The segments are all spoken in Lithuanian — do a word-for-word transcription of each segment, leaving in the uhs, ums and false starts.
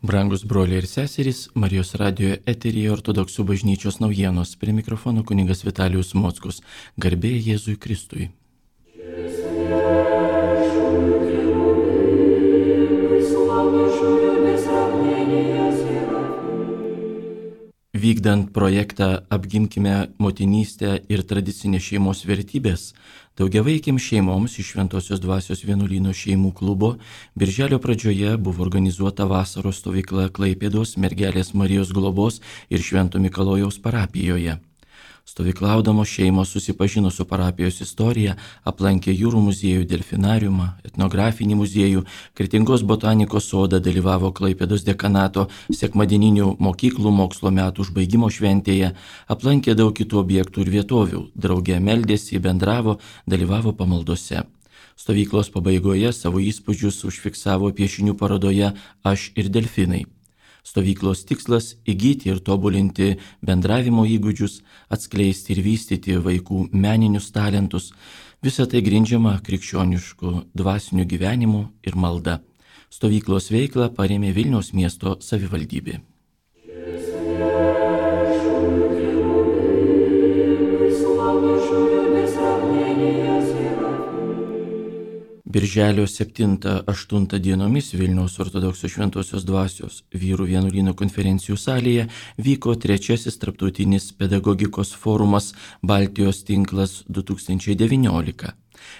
Brangus broliai ir seserys, Marijos radijo eteryje Ortodoksų bažnyčios naujienos. Prie mikrofono kunigas Vitalijus Mockus. Garbė Jėzui Kristui. Vykdant projektą Apgimkime motinystę ir tradicinės šeimos vertybės, daugiavaikėms šeimoms iš Šventosios Dvasios vienuolyno šeimų klubo birželio pradžioje buvo organizuota vasaros stovykla Klaipėdos Mergelės Marijos globos ir Švento Mikalojaus parapijoje. Stovyklaudamos šeimos susipažino su parapijos istorija, aplankė jūrų muziejų, delfinariumą, etnografinį muziejų, Kretingos botanikos sodą, dalyvavo Klaipėdos dekanato sekmadieninių mokyklų mokslo metų užbaigimo šventėje, aplankė daug kitų objektų ir vietovių, drauge meldėsi, bendravo, dalyvavo pamaldose. Stovyklos pabaigoje savo įspūdžius užfiksavo piešinių parodoje Aš ir delfinai. Stovyklos tikslas – įgyti ir tobulinti bendravimo įgūdžius, atskleisti ir vystyti vaikų meninius talentus, visą tai grindžiama krikščionišku dvasiniu gyvenimu ir malda. Stovyklos veiklą parėmė Vilniaus miesto savivaldybė. Birželio septintą aštuntą dienomis Vilniaus Ortodoksų Šventosios Dvasios vyrų vienuolyno konferencijų salėje vyko trečiasis tarptautinis pedagogikos forumas Baltijos tinklas du tūkstančiai devyniolika.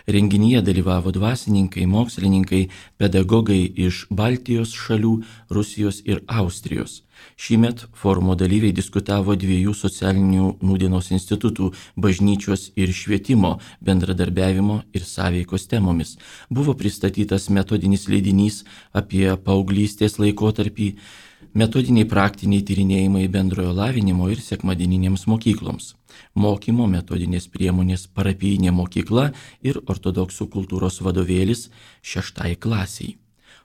Renginyje dalyvavo dvasininkai, mokslininkai, pedagogai iš Baltijos šalių, Rusijos ir Austrijos. Šįmet forumo dalyviai diskutavo dviejų socialinių nūdienos institutų bažnyčios ir švietimo, bendradarbiavimo ir sąveikos temomis. Buvo pristatytas metodinis leidinys apie paauglystės laikotarpį, metodiniai praktiniai tyrinėjimai bendrojo lavinimo ir sekmadieninėms mokykloms, mokymo metodinės priemonės parapijinė mokykla ir ortodoksų kultūros vadovėlis šeštai klasiai.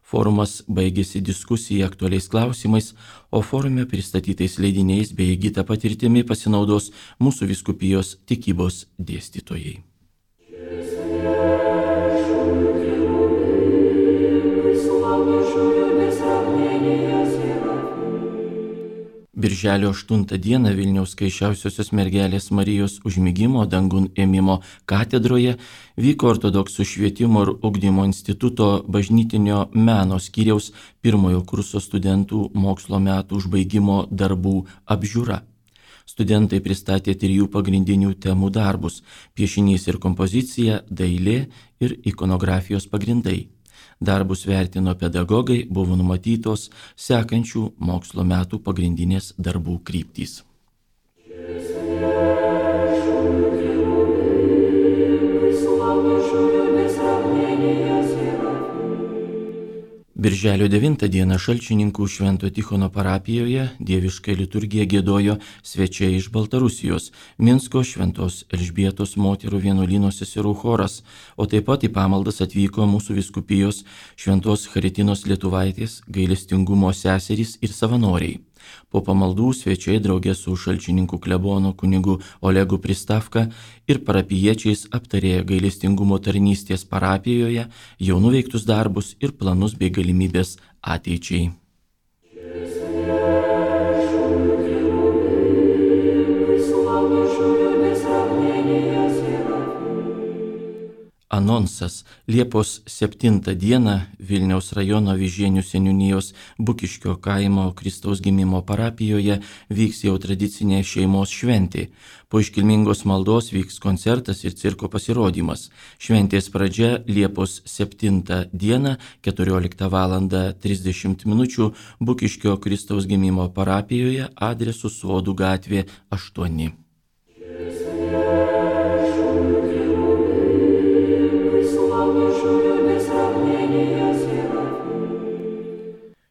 Forumas baigėsi diskusija aktualiais klausimais, o forume pristatytais leidiniais bei įgyta patirtimi pasinaudos mūsų vyskupijos tikybos dėstytojai. Birželio aštuntą dieną Vilniaus Skaisčiausiosios Mergelės Marijos užmigimo dangun ėmimo katedroje vyko Ortodoksų švietimo ir ugdymo instituto bažnytinio meno skyriaus pirmojo kurso studentų mokslo metų užbaigimo darbų apžiūra. Studentai pristatė trijų pagrindinių temų darbus – piešinys ir kompozicija, dailė ir ikonografijos pagrindai. Darbus vertino pedagogai, buvo numatytos sekančių mokslo metų pagrindinės darbų kryptys. Birželio devintą dieną Šalčininkų Švento Tichono parapijoje dievišką liturgiją giedojo svečiai iš Baltarusijos, Minsko Šventos Elžbietos moterų vienuolyno seserų choras, o taip pat į pamaldas atvyko mūsų vyskupijos Šventos Charitinos Lietuvaitės gailestingumo seserys ir savanoriai. Po pamaldų svečiai draugė su Šalčininkų klebonu kunigu Olegu Pristavka ir parapijiečiais aptarė gailestingumo tarnystės parapijoje, jau nuveiktus darbus ir planus bei galimybės ateičiai. Anonsas. Liepos septintą dieną Vilniaus rajono Vyžienių seniūnijos Bukiškio kaimo Kristaus gimimo parapijoje vyks jau tradicinė šeimos šventė. Po iškilmingos maldos vyks koncertas ir cirko pasirodymas. Šventės pradžia Liepos septintą dieną keturioliktą valandą trisdešimt minučių Bukiškio Kristaus gimimo parapijoje adresu Sodų gatvė aštuoni.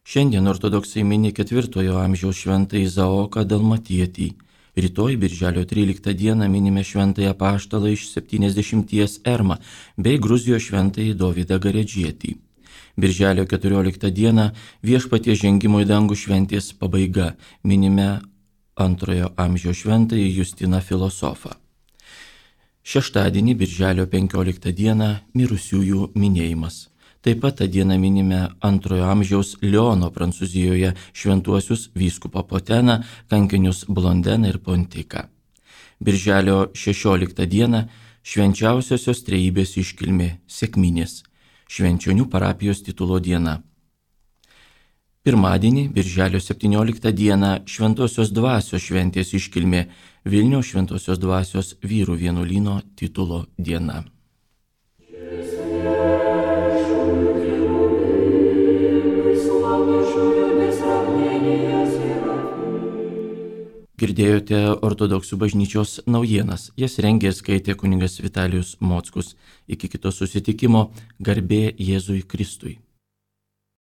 Šiandien ortodoksai mini ketvirtojo amžiaus šventąjį Izaoką Dalmatietį. Rytoj, birželio tryliktą dieną, minime šventąjį apaštalą iš septyniasdešimties Ermą bei Gruzijos šventąjį Dovydą Garedžietį. Birželio keturioliktą dieną Viešpaties žengimo į dangų šventės pabaiga, minime antrojo amžiaus šventąjį Justiną filosofą. Šeštadienį, birželio penkioliktą dieną, mirusiųjų minėjimas. Taip pat tą dieną minime antrojo amžiaus Liono Prancūzijoje šventuosius vyskupą Poteną, kankinius Blondeną ir Pontiką. Birželio šešioliktą dieną švenčiausiosios trejybės iškilmė Sekminės, Švenčionių parapijos titulo diena. Pirmadienį, birželio septynioliktą dieną Šventosios dvasios šventės iškilmė Vilniaus Šventosios dvasios vyrų vienuolyno titulo diena. Girdėjote ortodoksų bažnyčios naujienas, jas rengė ir skaitė kunigas Vitalijus Mockus. Iki kito susitikimo, garbė Jėzui Kristui.